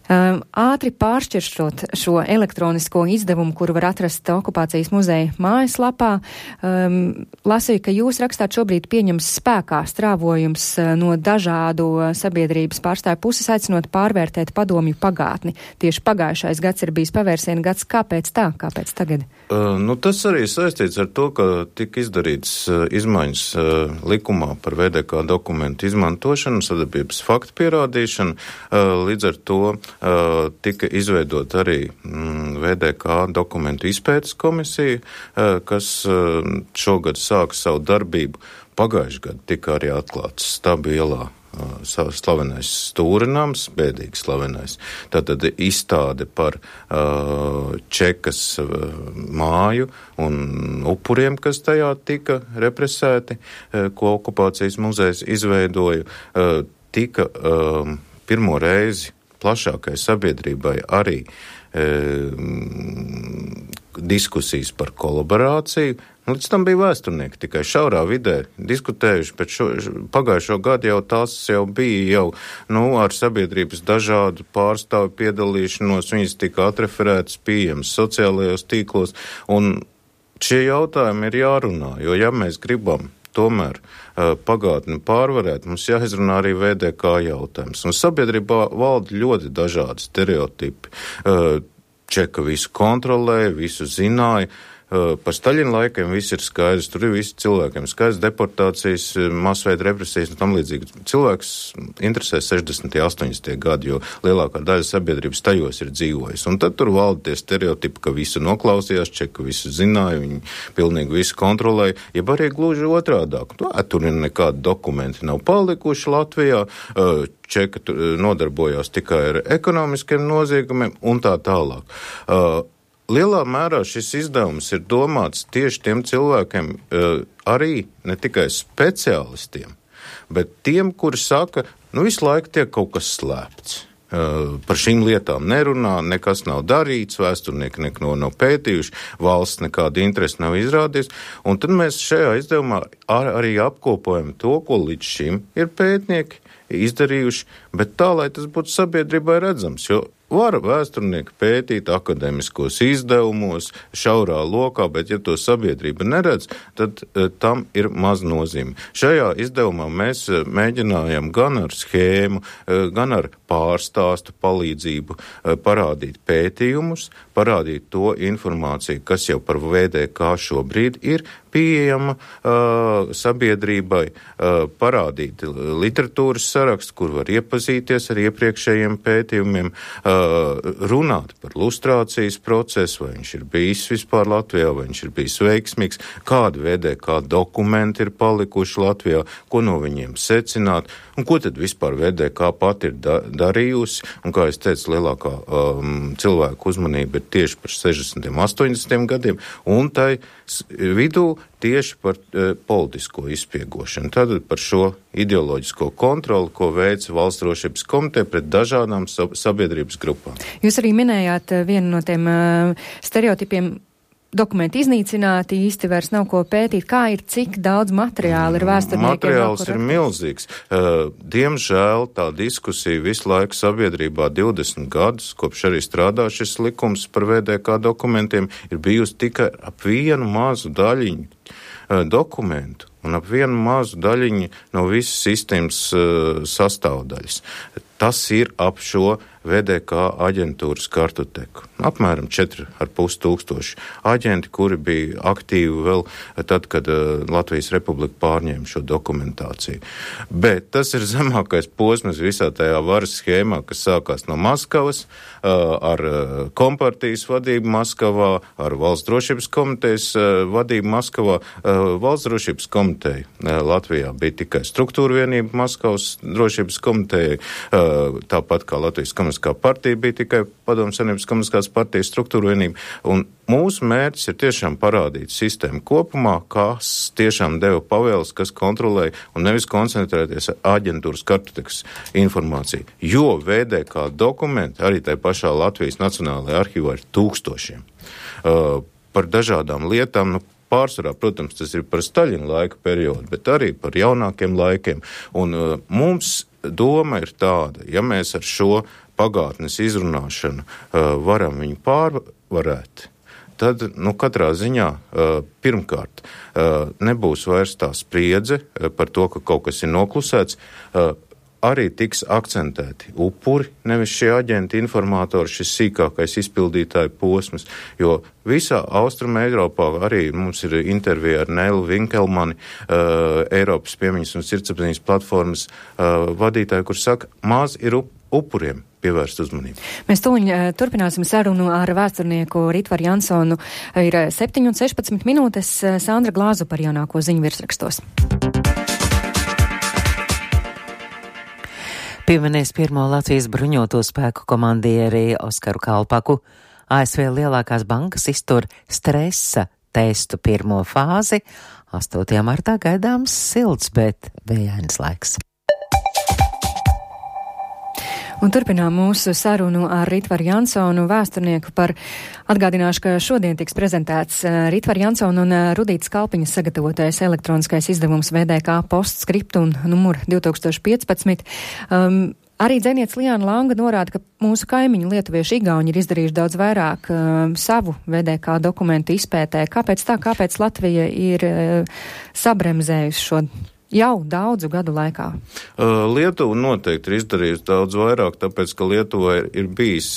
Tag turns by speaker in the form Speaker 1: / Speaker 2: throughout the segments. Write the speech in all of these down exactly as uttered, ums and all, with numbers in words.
Speaker 1: Um, ātri pāršķiršot šo elektronisko izdevumu, kuru var atrast okupācijas muzeja mājaslapā, um, lasīju, ka jūs rakstāt šobrīd pieņems spēkā strāvojums no dažādu sabiedrības pārstāvju puses, aicinot pārvērtēt padomju pagātni. Tieši pagājušais gads ir bijis pavērsiena gads. Kāpēc tā? Kāpēc tagad?
Speaker 2: Uh, nu, tas arī saistīts ar to, ka tika izdarīts uh, izmaiņas uh, likumā par V D K dokumentu izmantošanu, sadarbības faktu pierādīšanu. Uh, līdz ar to Uh, tika izveidot arī mm, V D K dokumentu izpētes komisija, uh, kas uh, šogad sāka savu darbību. Pagājušajā gadā tika arī atklāts Stabu ielā uh, slavenais stūrinājums, bēdīgi slavenais. Tātad izstāde par uh, Čekas uh, māju un upuriem, kas tajā tika represēti, uh, ko okupācijas muzejs izveidoja, uh, tika uh, pirmo reizi plašākai sabiedrībai arī e, diskusijas par kolaborāciju. Līdz tam bija vēsturnieki tikai šaurā vidē diskutējuši, bet šo, pagājušo gadu jau tās jau bija jau, nu, ar sabiedrības dažādu pārstāvu piedalīšanos, viņas tika atreferētas, pieejamas sociālajos tīklos, un šie jautājumi ir jārunā, jo ja mēs gribam tomēr uh, pagātni pārvarēt, mums jāizrunā arī V D K jautājums. Un sabiedrībā valda ļoti dažādi stereotipi. Uh, Čeka visu kontrolēja, visu zināja. Uh, par Staļina laikiem viss ir skaidrs, tur ir visi cilvēkiem skaidrs, deportācijas, masveida represijas un tam līdzīgi. Cilvēks interesē sešdesmitie, astoņdesmitie gadi, jo lielākā daļa sabiedrības tajos ir dzīvojis. Un tad tur valda tie stereotipi, ka visu noklausījās, Čeka visu zināja, viņi pilnīgi visu kontrolēja, jeb arī gluži otrādāk. Nu, tur ir nekādi dokumenti nav palikuši Latvijā, uh, Čeka nodarbojās tikai ar ekonomiskiem noziegumiem un tā tālāk. Uh, Lielā mērā šis izdevums ir domāts tieši tiem cilvēkiem, arī ne tikai speciālistiem, bet tiem, kuri saka, nu visu laiku tiek kaut kas slēpts. Par šīm lietām nerunā, nekas nav darīts, vēsturnieki neko nav pētījuši, valsts nekāda interese nav izrādījusi, un tad mēs šajā izdevumā ar, arī apkopojam to, ko līdz šim ir pētnieki izdarījuši, bet tā, lai tas būtu sabiedrībai redzams, jo var vēsturnieki pētīt akademiskos izdevumos, šaurā lokā, bet ja to sabiedrība neredz, tad e, tam ir maz nozīme. Šajā izdevumā mēs e, mēģinājam gan ar schēmu, e, gan ar pārstāstu palīdzību e, parādīt pētījumus, parādīt to informāciju, kas jau par V D K šobrīd ir pieejama uh, sabiedrībai, uh, parādīt literatūras sarakstu, kur var iepazīties ar iepriekšējiem pētījumiem, uh, runāt par lustrācijas procesu, vai viņš ir bijis vispār Latvijā, vai viņš ir bijis veiksmīgs, kādi V D K dokumenti ir palikuši Latvijā, ko no viņiem secināt, un ko tad vispār V D K pati ir da- darījusi, un kā es teicu, lielākā um, cilvēku uzmanība ir tieši par sešdesmitiem, astoņdesmitiem gadiem, un tai vidū tieši par e, politisko izspiegošanu. Tātad par šo ideoloģisko kontroli, ko veica Valsts drošības komiteja pret dažādām sabiedrības grupām.
Speaker 1: Jūs arī minējāt vienu no tiem uh, stereotipiem. Dokumenti iznīcināti, īsti vairs nav ko pētīt. Kā ir, cik daudz materiāla ir vēsturniekiem?
Speaker 2: Materiāls ir milzīgs. Uh, diemžēl tā diskusija visu laiku sabiedrībā divdesmit gadus, kopš arī strādā šis likums par V D K dokumentiem, ir bijusi tikai ap vienu mazu daļiņu uh, dokumentu un ap vienu mazu daļiņu no visas sistēmas uh, sastāvdaļas. Tas ir ap šo V D K aģentūras kartoteku. Apmēram četri ar pus tūkstoši aģenti, kuri bija aktīvi vēl tad, kad uh, Latvijas Republika pārņēma šo dokumentāciju. Bet tas ir zemākais posms visā tajā varas schēmā, kas sākās no Maskavas, uh, ar uh, kompartijas vadību Maskavā, ar Valsts drošības komitejas uh, vadību Maskavā. Uh, Valsts drošības komiteja uh, Latvijā bija tikai struktūra vienība Maskavas drošības komitejai, uh, tāpat kā Latvijas komunistiskā partija bija tikai Padomju Savienības komunistiskās partijas struktūra vienība. Un mūsu mērķis ir tiešām parādīt sistēmu kopumā, kas tiešām deva pavēles, kas kontrolēja, un nevis koncentrēties ar aģentūras kartotekas informāciju. Jo V D K dokumenti arī tai pašā Latvijas Nacionālajā arhīvā ir tūkstošiem. Uh, par dažādām lietām, nu, pārsvarā, protams, tas ir par Staļina laika periodu, bet arī par jaunākiem laikiem. Un uh, mums doma ir tāda, ja mēs ar šo pagātnes izrunāšanu uh, varam viņu pārvarēt, tad, nu, katrā ziņā uh, pirmkārt uh, nebūs vairs tā spriedze uh, par to, ka kaut kas ir noklusēts, uh, arī tiks akcentēti upuri, nevis šie aģenti, informātori, šis sīkākais izpildītāju posms, jo visā Austruma Eiropā arī mums ir intervija ar Nēlu Vinkelmani, uh, Eiropas piemiņas un sirdsapziņas platformas uh, vadītāju, kur saka, maz ir up upuriem pievērst uzmanību.
Speaker 1: Mēs tūliņ uh, turpināsim sarunu ar vēsturnieku Ritvaru Jansonu. Ir septiņi un sešpadsmit minūtes. Sandra Glāzu par jaunāko ziņu virsrakstos.
Speaker 3: Pieminēs pirmo Latvijas bruņoto spēku komandieri Oskaru Kalpaku. A S V lielākās bankas iztur stresa testu pirmo fāzi. astotajā martā gaidāms silts, bet vējains laiks.
Speaker 1: Un turpinām mūsu sarunu ar Ritvaru Jansonu, vēsturnieku par atgādināšu, ka šodien tiks prezentēts Ritvaru Jansonu un Rudītas Kalpiņas sagatavotais elektroniskais izdevums V D K postskriptum numur divi tūkstoši piecpadsmit. Um, Arī dzēniece Liāna Langa norāda, ka mūsu kaimiņi lietuvieši igauņi ir izdarījuši daudz vairāk uh, savu V D K dokumentu izpētē. Kāpēc tā, kāpēc Latvija ir uh, sabremzējusi šo jau daudzu gadu laikā?
Speaker 2: Uh, Lietuva noteikti ir izdarījusi daudz vairāk, tāpēc, ka Lietuvai ir, ir bijis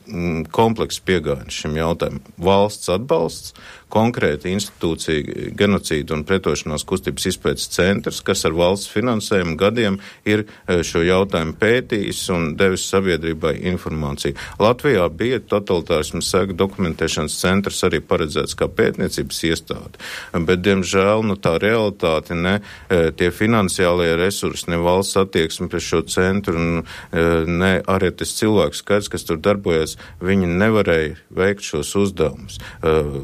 Speaker 2: mm, komplekss pieejams šim jautājumam. Valsts atbalsts, konkrēta institūcija genocīdu un pretošanās kustības izpētes centrs, kas ar valsts finansējumu gadiem ir šo jautājumu pētījis un devis sabiedrībai informāciju. Latvijā bija totalitārismu sēku dokumentēšanas centrs arī paredzēts kā pētniecības iestāde, bet, diemžēl, nu, tā realitāte, ne tie finansiālie resursi, ne valsts attieksme pret šo centru, ne arī tas cilvēks skaits, kas tur darbojas, viņi nevarēja veikt šos uzdevumus.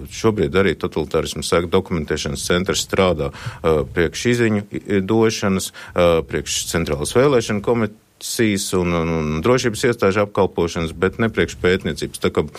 Speaker 2: Šobrīd arī totalitārismu sēku dokumentēšanas centrs strādā uh, priekš izziņu došanas, uh, priekš centrālas vēlēšana komisijas un, un, un drošības iestāžu apkalpošanas, bet ne priekš pētniecības. Tā kā uh,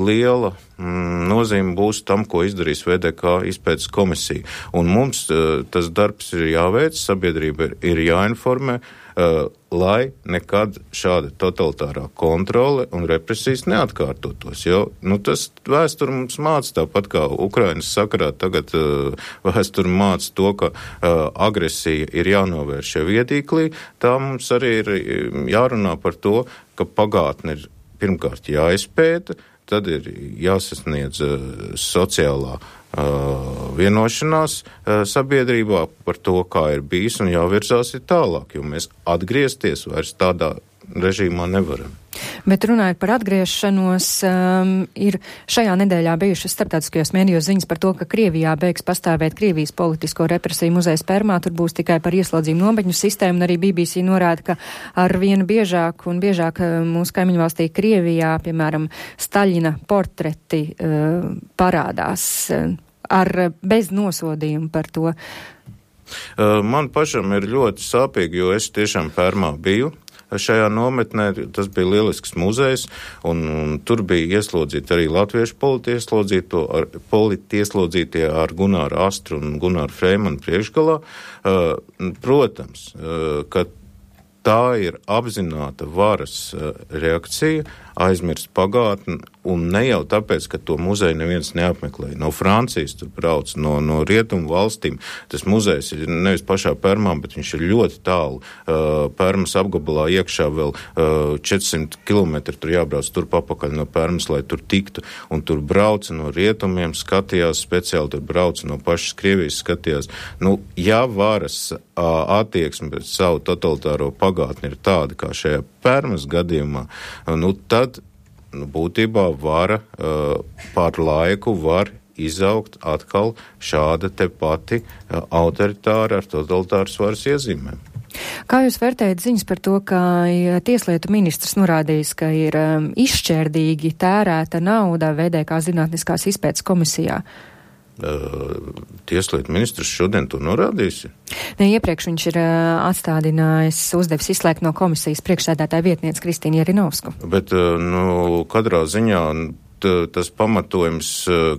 Speaker 2: liela mm, nozīme būs tam, ko izdarīs V D K izpētes komisija. Un mums uh, tas darbs ir jāveic, sabiedrība ir, ir jāinformē, Uh, lai nekad šāda totalitārā kontrole un represijas neatkārtotos. Jo, nu, tas vēsturi mums māca tāpat kā Ukrainas sakarā. Tagad uh, vēsturi māca to, ka uh, agresija ir jānovērš šie viedīklī. Tā mums arī ir jārunā par to, ka pagātne ir pirmkārt jāizpēta, tad ir jāsasniedz uh, sociālā Uh, vienošanās uh, sabiedrībā par to, kā ir bijis, un jāvirzās ir tālāk, jo mēs atgriezties vairs tādā režīmā nevaram.
Speaker 1: Bet runājot par atgriešanos, um, ir šajā nedēļā bijušas starptautiskajos mēdījos ziņas par to, ka Krievijā beigs pastāvēt Krievijas politisko represiju muzejs Permā, tur būs tikai par ieslodzījumu nobeņu sistēmu, un arī B B C norāda, ka ar vienu biežāk un biežāk mūsu kaimiņu valstī Krievijā, piemēram, Staļina portreti uh, parādās uh, ar bez nosodījumu par to.
Speaker 2: Uh, man pašam ir ļoti sāpīgi, jo es tiešām Permā biju. Šajā nometnē tas bija lielisks muzejs, un, un tur bija ieslodzīti arī latviešu politieslodzītie ar Gunāru Astru un Gunāru Freimanu priekšgalā. Uh, protams, uh, ka tā ir apzināta varas uh, reakcija, aizmirst pagātni, un ne jau tāpēc, ka to muzeju neviens neapmeklē. No Francijas tur brauc, no, no rietumu valstīm. Tas muzejs ir nevis pašā Permā, bet viņš ir ļoti tālu. Uh, Permas apgabalā iekšā vēl uh, četrsimt kilometri tur jābrauc turp apakaļ no Permas, lai tur tiktu. Un tur brauca no rietumiem, skatījās speciāli, tur brauca no pašas Krievijas, skatījās. Nu, ja varas uh, attieksme pret savu totalitāro pagātni ir tāda, kā šajā Permas gadījumā, nu tad nu, būtībā vara uh, pār laiku var izaugt atkal šāda te pati uh, autoritāra ar totalitāras varas iezīmēm.
Speaker 1: Kā jūs vērtējat ziņas par to, ka tieslietu ministrs norādījis, ka ir um, izšķērdīgi tērēta nauda V D K zinātniskās izpētes komisijā?
Speaker 2: Uh, tieslietu ministrs šodien to norādījis?
Speaker 1: Ne, iepriekš viņš ir uh, atstādinājis, uzdevis izslēgt no komisijas priekšsēdētāja vietniece Kristīnu Jerinovsku.
Speaker 2: Bet, uh, nu, katrā ziņā tas pamatojums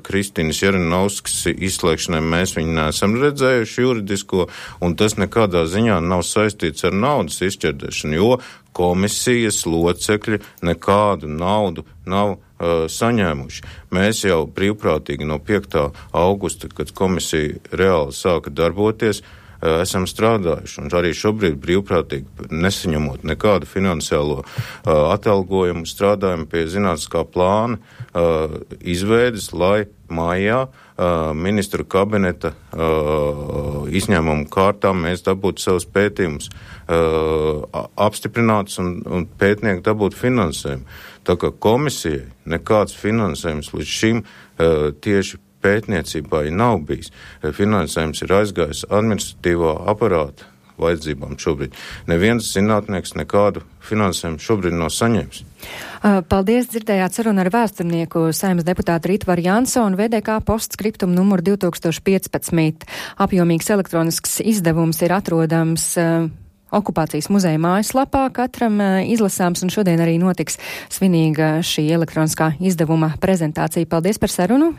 Speaker 2: Kristīnas Jaranovskas izslēgšanai mēs viņu neesam redzējuši juridisko, un tas nekādā ziņā nav saistīts ar naudas izšķērdēšanu, jo komisijas locekļi nekādu naudu nav uh, saņēmuši. Mēs jau brīvprātīgi no piektā augusta, kad komisija reāli sāka darboties, uh, esam strādājuši, un arī šobrīd brīvprātīgi nesaņemot nekādu finansiālo uh, atalgojumu, strādājam pie zinātniskā plāna uh, izveides, lai mājā uh, ministru kabineta uh, izņēmumu kārtā mēs dabūtu savus pētījumus uh, apstiprināts un, un pētnieki dabūtu finansējumu. Tā kā komisijai nekāds finansējums līdz šim uh, tieši pētniecībai nav bijis. Finansējums ir aizgājis administratīvā aparāta vajadzībām šobrīd. Neviens zinātnieks nekādu finansējumu šobrīd nav saņēmis.
Speaker 1: Paldies, dzirdējāt sarunu ar vēsturnieku Saeimas deputātu Ritvaru Jansonu, V D K postskriptum numur divi tūkstoši piecpadsmit. Apjomīgs elektronisks izdevums ir atrodams uh, Okupācijas muzeja mājaslapā, katram uh, izlasāms, un šodien arī notiks svinīga šī elektroniskā izdevuma prezentācija. Paldies par sarunu!